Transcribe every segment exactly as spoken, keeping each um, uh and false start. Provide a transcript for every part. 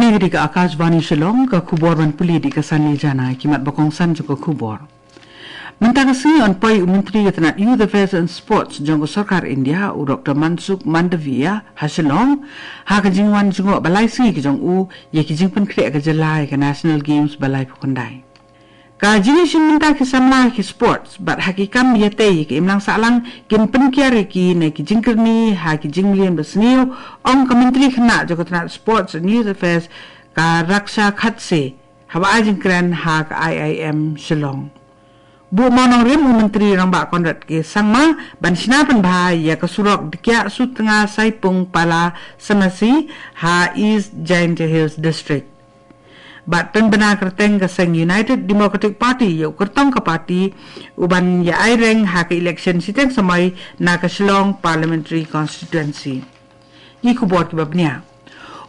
Ïa ka Akashvani Shillong, ka khubor ban pule da ka Sanli Jana, ki mat ba kongsan jong ka khubor. Mynta ka sngi yn poi u Myntri ka tnat Youth Affairs and Sports jong ka Sorkar India, u Doktor Mansukh Mandaviya, ha Shillong, ha ka jingwan jngoh ba lai sngi ka jong u, ïa ki jingpynkhreh ka jylla ïa ka National Games ba laiphew khyndai. Ka jingïashim bynta ki samla ki sports, bad ha ki kam ïatei ïa ka imlang sahlang, kin pynkiar ïa ki na ki jingkyrni ha ki jingmlien ba sniew, ong ka Myntri Khynnah jong ka tnat Sports and Youth Affairs, ka Raksha Khadse, haba ai jingkren ha ka I I M Shillong. Buh mawnongrim u Myntri Rangbah Conrad K Sangma, ban shna pynbha ïa ka surok Dkhiah Sutnga Saipung Pala Semasi, ha East Jaintia Hills District. Bad pynbna kyrteng ka seng United Democratic Party ïa u kyrtong ka party, u ban ïa ai reng ha ka election shiteng samoi na ka Shillong Parliamentary Constituency. Ki khubor kiba bniah.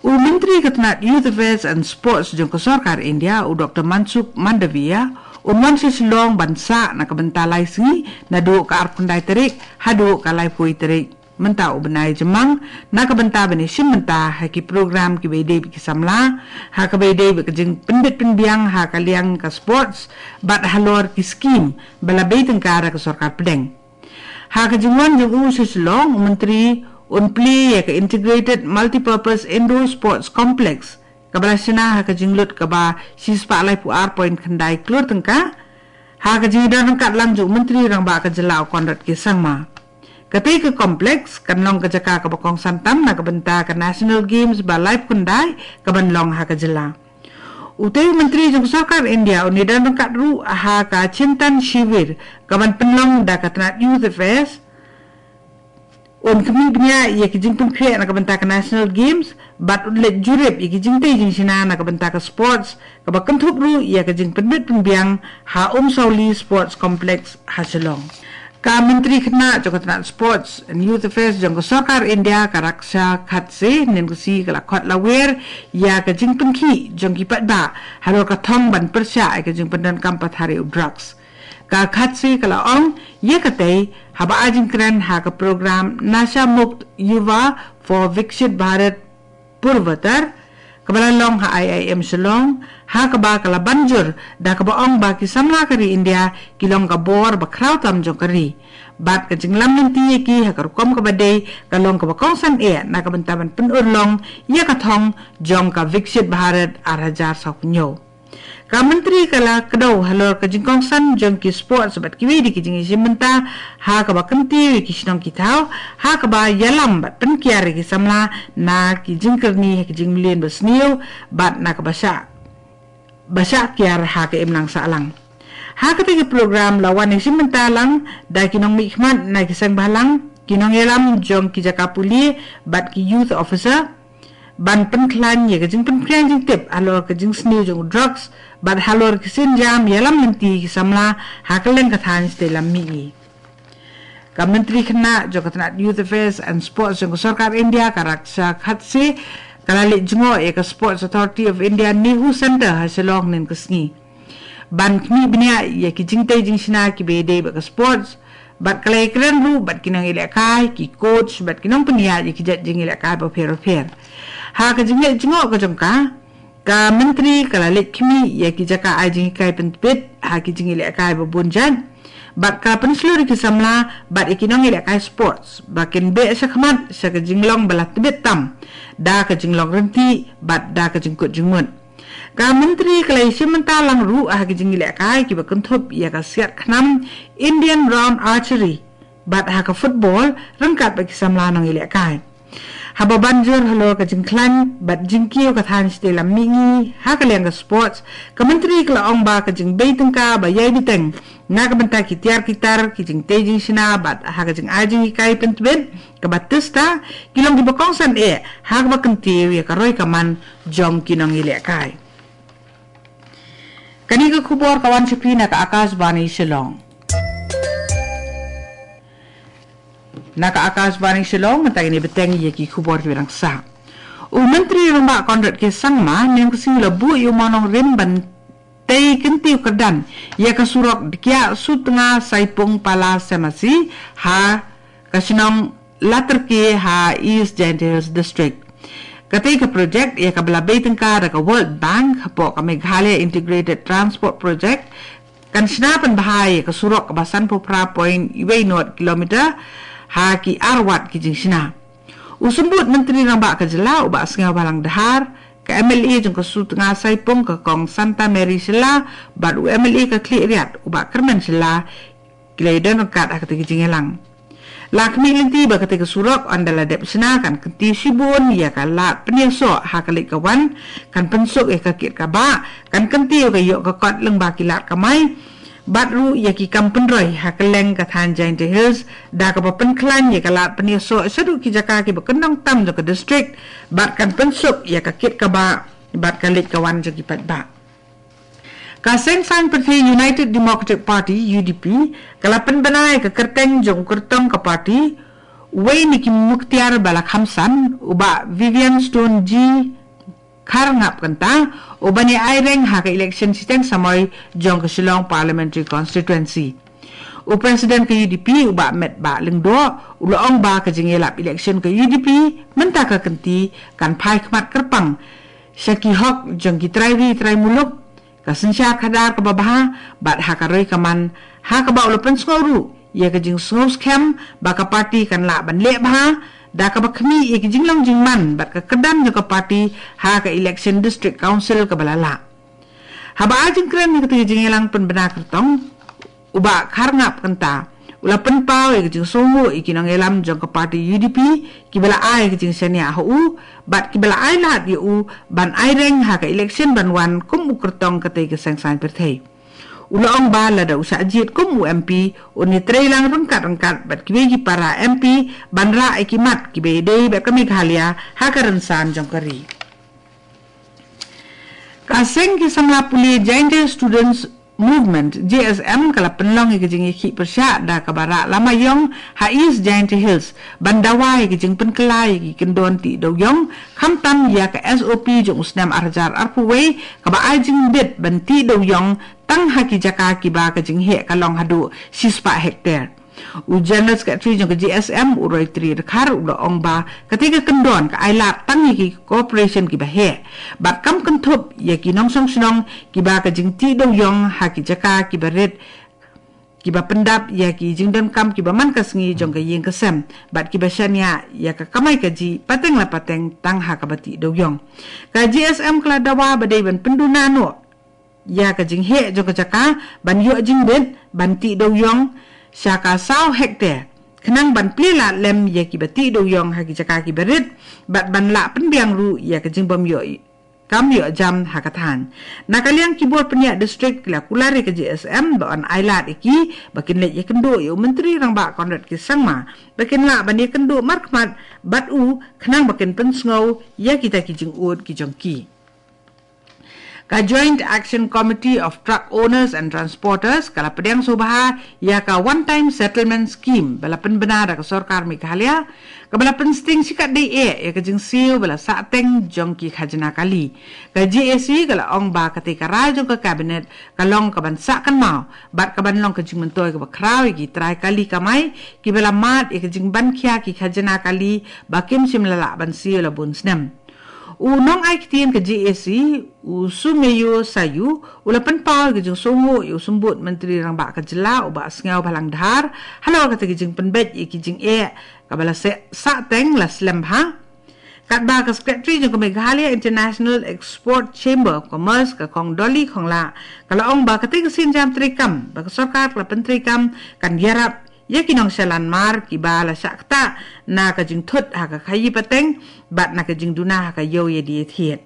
U Myntri ka tnat Youth Affairs and Sports jong ka Sorkar India, u Doktor Mansukh Mandaviya, un wan sha Shillong ban sah na ka bynta lai sngi, naduh ka arphew khyndai tarik haduh ka laiphew tarik mynta u bnai Jymmang, na ka bynta ban ïashim bynta ha ki program kiba ïadei bad ki samla, ha kaba ïadei bad ka jingpynbit pynbiang ha ka liang ka sports, bad halor ki skim ba la bei tyngka da ka Sorkar Pdeng. Ha ka jingwan jong u sha Shillong, u Myntri un plie ïa ka Integrated Multipurpose Indoor Sports Complex, kaba la shna ha ka jinglut kaba shispah laiphew ar point khyndai klur tyngka, ha ka jingdon ryngkat lang jong u Myntri Rangbah ka jylla u Conrad K Sangma. Katei ka complex kan long ka jaka kaba kongsan tam na ka bynta ka National Games ba laiphew khyndai, kaban long ha ka jylla. Utei u Myntri jong ka Sorkar India un ïadon ryngkat ruh ha ka Chintan Shivir, kaban pynlong da ka tnat Youth Affairs. Un khmih bniah ïa ki jingpynkhreh na ka bynta ka National Games, bad un leit jurip ïa ki jingtei jingshna na ka bynta ka sports, kaba kynthup ruh ïa ka jingpynbit pynbiang ha Umsawli Sports Complex ha Shillong. Ka Myntri Khynnah jong ka tnat Sports and Youth Affairs jong ka Sorkar India, ka Raksha Khadse, hynnin ka sngi ka la khot lawer ïa ka jingpynkhih jong ki paidbah halor ka thong ban pyrshah ïa ka jingpyndonkam pathar ïa u drugs. Ka Khadse ka la ong ïa katei haba ai jingkren ha ka program Nasha Mukt Yuva for Viksit Bharat Purvottar, kaba la long ha I I M Shillong, ha kaba ka la ban jur da kaba ong ba ki samla ka ri India ki long ka bor ba khraw tam jong ka ri. Bad ka jinglam lynti ïa ki ha ka rukom kaba dei ka long kaba kongsan eh na ka bynta ban pynurlong ïa ka thong jong ka Viksit Bharat ar hajar sawphew hynñiew. Ka Myntri ka la kdew halor ka jingkongsan jong ki sports bad kiwei de ki jingïashim bynta, ha kaba kyntiew ïa ki shnong ki thaw, ha kaba ïalam bad pynkiar ïa ki samla na ki jingkyrni ha ki jingmlien ba sniew, bad na kaba shah, ba shah kiar ha ka imlang sahlang. Ha katei ka program la wan ïashim bynta lang da ki nongmihkhmat na ki seng bhalang, ki nongïalam jong ki jaka pule, bad ki youth officer, ban pynkhlaiñ ïa ka jingpynphriang jingtip halor ka jingsniew jong u drugs, bad halor ki sienjam ïalam lynti ki samla ha kylleng ka thaiñ shatei lam mihngi. Ka Myntri Khynnah jong ka tnat Youth Affairs and Sports jong ka Sorkar India, ka Raksha Khadse, ka la leit jngoh ïa ka Sports Authority of India NEHU Centre ha Shillong hynnin ka sngi, ban khmih bniah ïa ki jingtei jingshna kiba ïadei bad ka sports, bad ka la ïakren ruh bad ki nongïalehkai, ki coach, bad ki nongpynïaid ïa ki jait jingïalehkai bapher bapher. Ha ka jingleit jngoh ka jong ka, ka Myntri ka la leit khmih ïa ki jaka ai jinghikai pyntbit ha ki jingïalehkai ba bun jait, bad ka la pynshlur ïa ki samla bad ïa ki nongïalehkai sports ba kin beh shakhmat sha ka jinglong ba la tbit tam da ka jinglong ryntih bad da ka jingkut jingmut. Ka Myntri ka la ïashim bynta lang ruh ha ki jingïalehkai kiba kynthup ïa ka siat khnam, Indian Round Archery, bad ha ka football ryngkat bad ki samla nongïalehkai. Haba ban jur halor ka jingkhlaiñ bad jingkiew ka thaiñ shatei lam mihngi ha ka liang ka sports, ka Myntri ka la ong ba ka jingbei tyngka ba ïai bteng na ka bynta ki tiar ki tar, ki jingtei jingshna bad ha ka jingai jinghikai pyntbit kaba tista, ki long kiba kongsan eh ha kaba kyntiew ïa ka roi ka man jong ki nongïalehkai. Kane ka khubor ka wan sha phi na ka Akashvani Shillong. Na ka Akashvani Shillong, mynta ngin ïa bteng ïa ki khubor kiba dang sah. U Myntri Rangbah Conrad K Sangma, hynnin ka sngi u la buh ïa u mawnongrim ban tei kyntiew kyrdan ïa ka surok Dkhiah Sutnga Saipung Pala Semasi, ha ka shnong Latyrke ha East Jaintia Hills District. Katei ka projek ïa kaba la bei tyngka da ka World Bank hapoh ka Meghalaya Integrated Transport Project kan shna pynbha ïa ka surok kaba sanphew phra point wei nod kilometer ha ki arwat ki jingshna. U Symbud Myntri Rangbah ka jylla u Bah Sniawbhalang Dhar, ka M L A jong ka Sutnga Saipung ka Kong Santa Mary Shylla bad u M L A ka Khliehriat u Bah Kyrmen Shylla ki la ïadon ryngkat ha katei ka jingïalang. La khmih lynti ba katei ka surok ynda la dep shna kan kyntiew shibun ïa ka lad pynïasoh ha ka leit ka wan, kan pynsuk ïa ka kit ka bah, kan kyntiew ka ïoh ka kot lyngba ki lad kamai bad ruh ïa ki kam pynroi ha kylleng ka thaiñ Jaintia Hills da kaba pynkhlaiñ ïa ka lad pynïasoh shaduh ki jaka kiba kyndong tam jong ka district bad kan pynsuk ïa ka kit ka bah bad ka leit ka wan jong ki paidbah. Ka Seng Saiñ Pyrthei United Democratic Party, U D P, ka la pynbna ïa ka kyrteng jong u kyrtong ka party, uwei na ki muktiar ba la kham san, u Bah Vivian Stone G Kharngap Kynta, u ban ïa aireng ha ka election shiteng samoi jong ka Shillong Parliamentary Constituency. U President ka U D P u Bah Metbah Lyngdoh u la ong ba ka jingïalap election ka U D P mynta ka kynti kan phai khmat kyrpang sha ki hok jong ki trai ri trai muluk, ka synshar khadar kaba bha bad ha ka roi ka man, ha kaba u la pynsngew ruh ïa ka jingsngew skhem ba ka party kan lah ban leh bha da kaba khmih ïa ki jinglong jingman bad ka kyrdan jong ka party ha ka election District Council kaba la lah. Haba ai jingkren ha katei ka jingïalang pynbna kyrtong, u Bah Kharngap Kynta u la pynpaw ïa ka jingsngewnguh ïa ki nongïalam jong ka party U D P kiba la ai ka jingshaniah ha u bad kiba la ai lad ïa u ban aireng ha ka election ban wan kum u kyrtong katei ka Seng Saiñ Pyrthei. U la ong ba lada u shah jied kum u M P, un ïatreilang ryngkat ryngkat bad kiwei ki para M P ban rah ïa ki mat kiba ïadei bad ka Meghalaya ha ka rynsan jong ka ri. Ka Seng ki Samla Pule Jaintia Students Movement, J S M, ka la pynlong ïa ka jingïakhih pyrshah da kaba rah lama ïong ha East Jaintia Hills ban dawa ïa ka jingpynkylla ïa ki kyndon tih dewiong, khamtam ïa ka S O P jong u snem ar hajar arphew wei kaba ai jingbit ban tih dewiong tang ha ki jaka kiba ka jingheh ka long haduh shispah hektar. U General Secretary jong ka J S M, u Roytree Dkhar, u la ong ba katei ka kyndon ka ai lad tang ïa ki corporation kiba heh bad kam kynthup ïa ki nongshong shnong kiba ka jingtih dewiong ha ki jaka kiba rit, kiba pyndap ïa ki jingdonkam kiba man ka sngi jong ka ïing ka sem bad kiba shaniah ïa ka kamai kajih pateng la pateng tang ha kaba tih dewiong. Ka J S M ka la dawa ba dei ban pynduna noh ïa ka jingheh jong ka jaka ban ïoh jingbit ban tih dewiong sha ka saw hektar, khnang ban plie lad lem ïa kiba tih dewiong ha ki jaka kiba rit bad ban lah pynbiang ruh ïa ka jingbym ïoh kam ïoh jam ha ka thaiñ. Na ka liang ki bor pynïaid district ki la kular ïa ka J S M ba yn ai lad ïa ki ba kin leit ïakynduh ïa u Myntri Rangbah Conrad K Sangma ba kin lah ban ïakynduh markhmat bad u khnang ba kin pynsngew ïa kita ki jingud ki jong ki. Ka Joint Action Committee of Truck Owners and Transporters ka la pdiang sngewbha ïa ka One Time Settlement Scheme ba la pynbna da ka sorkar Meghalaya, kaba la pynsting shikatdei eh ïa ka jingsiew ba la sahteng jong ki khajna kali. Ka J A C ka la ong ba katei ka rai jong ka Cabinet ka long kaban sah kynmaw bad kaban long ka jingmyntoi kaba khraw ïa ki trai kali kamai kiba la mad ïa ka jingban khia ki khajna kali ba kim shym la lah ban siew la bun snem. U nongai ktien ka J A C, u Sumeyo Sayu, u la pynpaw ïa ka jingsngewnguh ïa u Symbud Myntri Rangbah ka jylla u Bah Sniawbhalang Dhar halor kata ka jingpynbeit ïa ki jingeh kaba la seh sahteng la slem bha. Katba ka Secretary jong ka Meghalaya International Export Chamber of Commerce, ka Kong Dolly Konglah, ka la ong ba katei ka sienjam treikam ba ka sorkar ka la pyntreikam kan ïarap ïa ki nongshah lanmar kiba la shah ktah na ka jingthut ha ka khaïi pateng bad na ka jingduna ha ka ïew ïadie thied.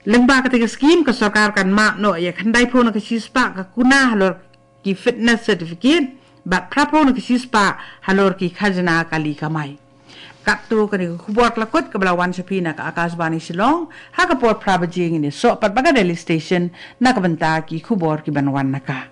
Lyngba katei ka skhim ka sorkar kan map noh ïa khyndaiphew na ka shispah ka kuna halor ki fitness certificate bad phraphew na ka shispah halor ki khajna kali kamai. Katto katne ka khubor ka la kut kaba la wan sha phi na ka Akashvani Shillong, ha ka por phra baje ngin ïasoh pat bad ka Delhi Station na ka bynta ki khubor kiban wan na ka